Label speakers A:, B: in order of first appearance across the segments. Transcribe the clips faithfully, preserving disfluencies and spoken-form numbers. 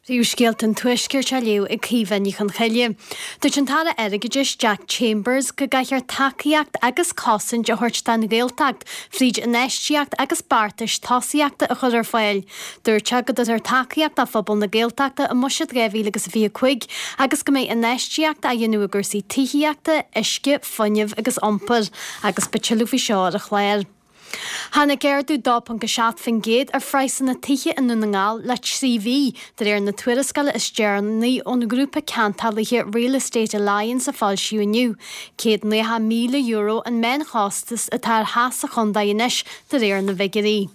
A: Príomhscéalta an Tuaiscirt á léamh ag Caoimhe Ní Chonchoille. Dúirt an tAire Airgeadais Jack Chambers go gcaithfear tacaíocht agus cosaint a thabhairt don Ghaeltacht fríd infheistíocht agus beartais tosaíochta a chur ar fáil. Dúirt sé go dtabharfar tacaíocht do phobal na Gaeltachta i mBuiséad dhá mhíle agus a fiche cúig agus go mbeidh infheistíocht á dhéanamh i gcúrsaí tithíochta, uisce, fuinnimh agus iompair agus beidh tuilleadh faoi seo ar an chlár. Tháinig ardú dó ponc a seacht faoin gcéad ar phraghsanna tithe i nDún na nGall le trí mhí, de réir na tuarascála is deireanaí ón ngrúpa ceantálaithe Real Estate Alliance a foilsíodh inniu. Céad nócha míle euro an meánchostas atá ar theach sa chontae anois, de réir na bhfigiúirí.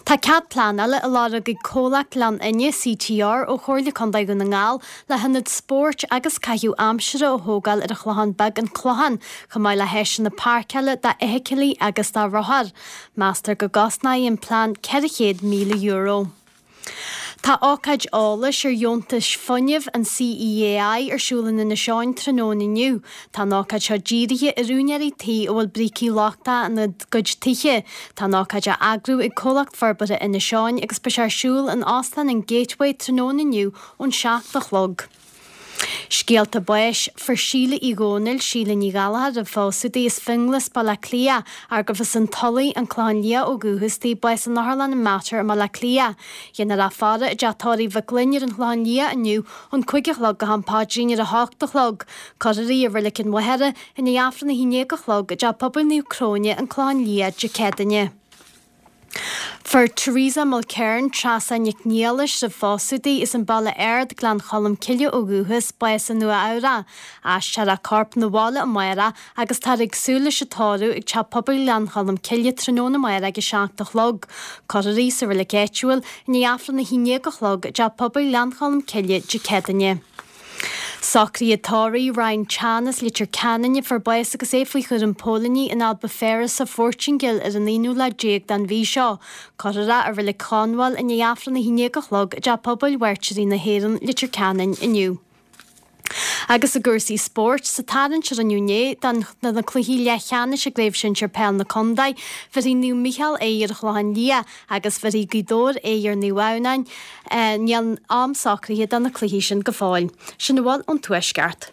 A: Tá cead pleanála á lorg ag comhlacht Ghleann Fhinne, C T R, ó Chomhairle Contae Dhún na nGall le hionad spóirt agus caitheamh aimsire a thógáil ar an Chlochán Beag, An Clochán, chomh maith le háiseanna páirceála d'fheithicilí agus do rothair. Meastar go gcosnóidh an plean ceithre chéad míle euro. Tá ócáid eolais ar dheontais fuinnimh an C E A I ar siúl in Inis Eoghain tráthnóna inniu. Tá an ócáid seo dírithe ar úinéirí tí a bhfuil brící lochtacha ina gcuid tithe. Tá an ócáid á eagrú ag Comhlacht Forbartha Inis Eoghain agus beidh sé ar siúl in Óstán an Gateway tráthnóna inniu ón seacht a chlog. Scéalta báis, Fuair Síle Uí Dhónaill, Síle Ní Ghallchóir roimh phósadh di, as Fionnglas, Baile Átha Cliath, arb as an Tulaigh, An Clochán Liath ó dhúchas di, bás in Otharlann an Mater i mBaile Átha Cliath. Dhéanfar í a fhaire i dteach tórraimh Mhic Fhloinn ar an Chlochán Liath inniu ón cúig a chlog go ham paidrín ar a hocht a chlog. Cuirfear í i Reilig an Mhachaire i ndiaidh Aifreann a haon déag a chlog i dteach pobail Naomh Cróine, An Clochán Liath, Dé Céadaoine. Fuair Teresa Mulkern, Treasa Nic Niallais roimh phósadh di, as an Baile Ard, Gleann Cholm Cille ó dhúchas, bás i Nua Eabhrac. Aistreofar a corp 'na bhaile amárach agus táthar ag súil leis an tórramh ag teach pobail Ghleann Cholm Cille tráthnóna amárach ag a seacht a chlog. Cuirfear í sa reilig áitiúil i ndiaidh Aifreann a haon déag a chlog i dteach pobail Ghleann Cholm Cille Dé Céadaoine. Socruithe tórraimh Ryan Chan as Leitir Ceanainn a fuair bás agus é faoi chúram póilíní in Albufeira sa Phortaingéil ar an aonú lá déag den mhí seo. Cuirfear é i Reilig Chonmhail i ndiaidh Aifreann a haon déag a chlog i dteach pobail Mhairtírí na hÉireann, Leitir Ceanainn inniu. Agus i gcúrsaí spóirt, sa tarraingt a rinneadh inné do na cluichí leathcheannais i gCraobh Shinsir Peil na Contae, bhéarfaidh Naomh Mícheál aghaidh ar an Chlochán Liath agus bhéarfaidh Gaoth Dobhair aghaidh ar Naomh Adhamhnáin. Níl am socraithe do na cluichí sin go fóill. Sin a bhfuil ón Tuaisceart.